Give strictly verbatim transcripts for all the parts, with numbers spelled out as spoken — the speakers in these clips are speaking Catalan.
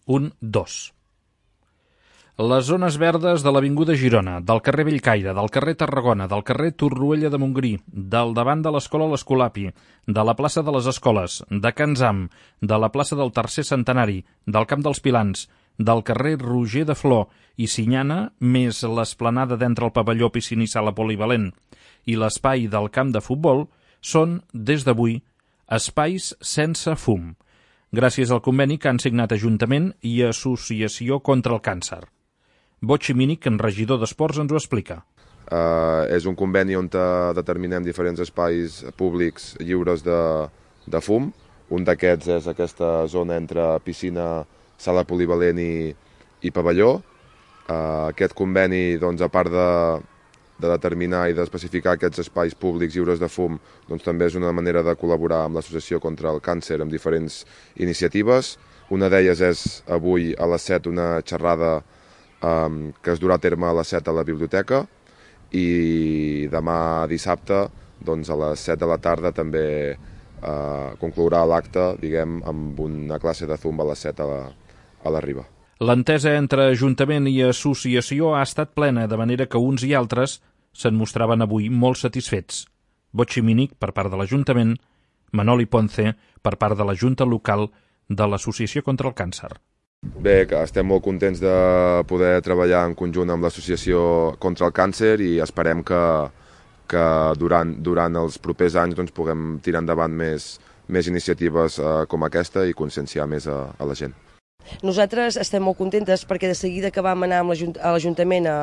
un dos. Les zones verdes de l'Avinguda Girona, del carrer Bellcaire, del carrer Tarragona, del carrer Torroella de Montgrí, del davant de l'Escola l'Escolapi, de la plaça de les Escoles, de Can Zam, de la plaça del Tercer Centenari, del Camp dels Pilans, del carrer Roger de Flor i Sinyana, més l'esplanada d'entre el pavelló piscina i sala polivalent i l'espai del camp de futbol, són, des d'avui, espais sense fum, gràcies al conveni que han signat Ajuntament i Associació contra el Càncer. Botxi Mínic, en regidor d'Esports, ens ho explica. Uh, és un conveni on determinem diferents espais públics lliures de, de fum. Un d'aquests és aquesta zona entre piscina, sala polivalent i, i pavelló. Uh, aquest conveni, doncs, a part de, de determinar i d'especificar aquests espais públics lliures de fum, doncs, també és una manera de col·laborar amb l'Associació contra el Càncer amb diferents iniciatives. Una d'elles és avui a les set una xerrada um, que es durà a terme a les set a la biblioteca i demà dissabte doncs, a les set de la tarda també uh, conclourà l'acte, diguem, amb una classe de zumba a les set a la, a la Riba. L'entesa entre Ajuntament i Associació ha estat plena, de manera que uns i altres se'n mostraven avui molt satisfets. Botxi Mínic per part de l'Ajuntament, Manoli Ponce per part de la Junta Local de l'Associació contra el Càncer. Bé, que estem molt contents de poder treballar en conjunt amb l'Associació contra el Càncer i esperem que, que durant, durant els propers anys doncs, puguem tirar endavant més, més iniciatives eh, com aquesta i conscienciar més a, a la gent. Nosaltres estem molt contentes perquè de seguida que vam anar amb l'Ajuntament a,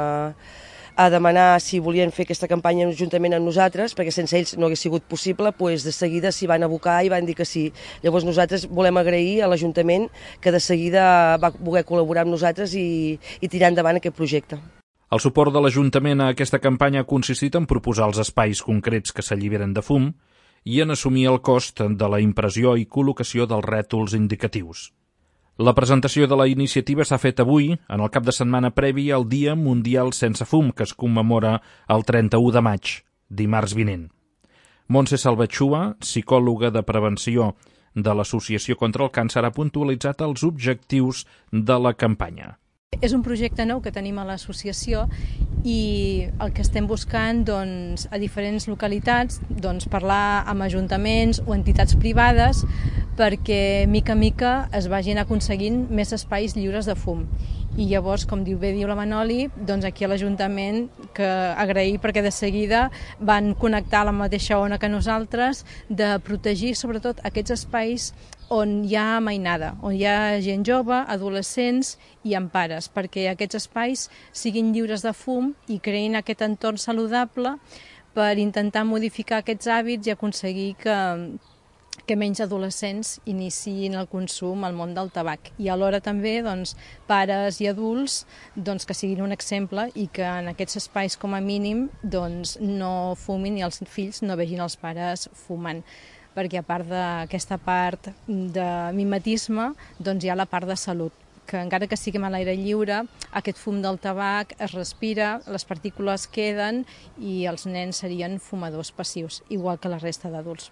a demanar si volien fer aquesta campanya juntament amb nosaltres, perquè sense ells no hagués sigut possible, doncs de seguida s'hi van abocar i van dir que sí. Llavors nosaltres volem agrair a l'Ajuntament que de seguida va voler col·laborar amb nosaltres i, i tirar endavant aquest projecte. El suport de l'Ajuntament a aquesta campanya ha consistit en proposar els espais concrets que s'alliberen de fum i en assumir el cost de la impressió i col·locació dels rètols indicatius. La presentació de la iniciativa s'ha fet avui, en el cap de setmana previ al Dia Mundial Sense Fum, que es commemora el trenta-u de maig, dimarts vinent. Montse Salvatxua, psicòloga de prevenció de l'Associació contra el Càncer, ha puntualitzat els objectius de la campanya. És un projecte nou que tenim a l'associació i el que estem buscant doncs, a diferents localitats, doncs, parlar amb ajuntaments o entitats privades perquè mica a mica es vagin aconseguint més espais lliures de fum. I llavors, com diu bé diu la Manoli, doncs aquí a l'Ajuntament que agrair perquè de seguida van connectar la mateixa ona que nosaltres de protegir sobretot aquests espais on hi ha mainada, on hi ha gent jove, adolescents i amb pares, perquè aquests espais siguin lliures de fum i creïn aquest entorn saludable per intentar modificar aquests hàbits i aconseguir que, que menys adolescents iniciïn el consum al món del tabac. I alhora també doncs, pares i adults doncs, que siguin un exemple i que en aquests espais com a mínim doncs, no fumin i els fills no vegin els pares fumant, perquè a part d'aquesta part de mimetisme doncs hi ha la part de salut, que encara que siguem a l'aire lliure, aquest fum del tabac es respira, les partícules queden i els nens serien fumadors passius, igual que la resta d'adults.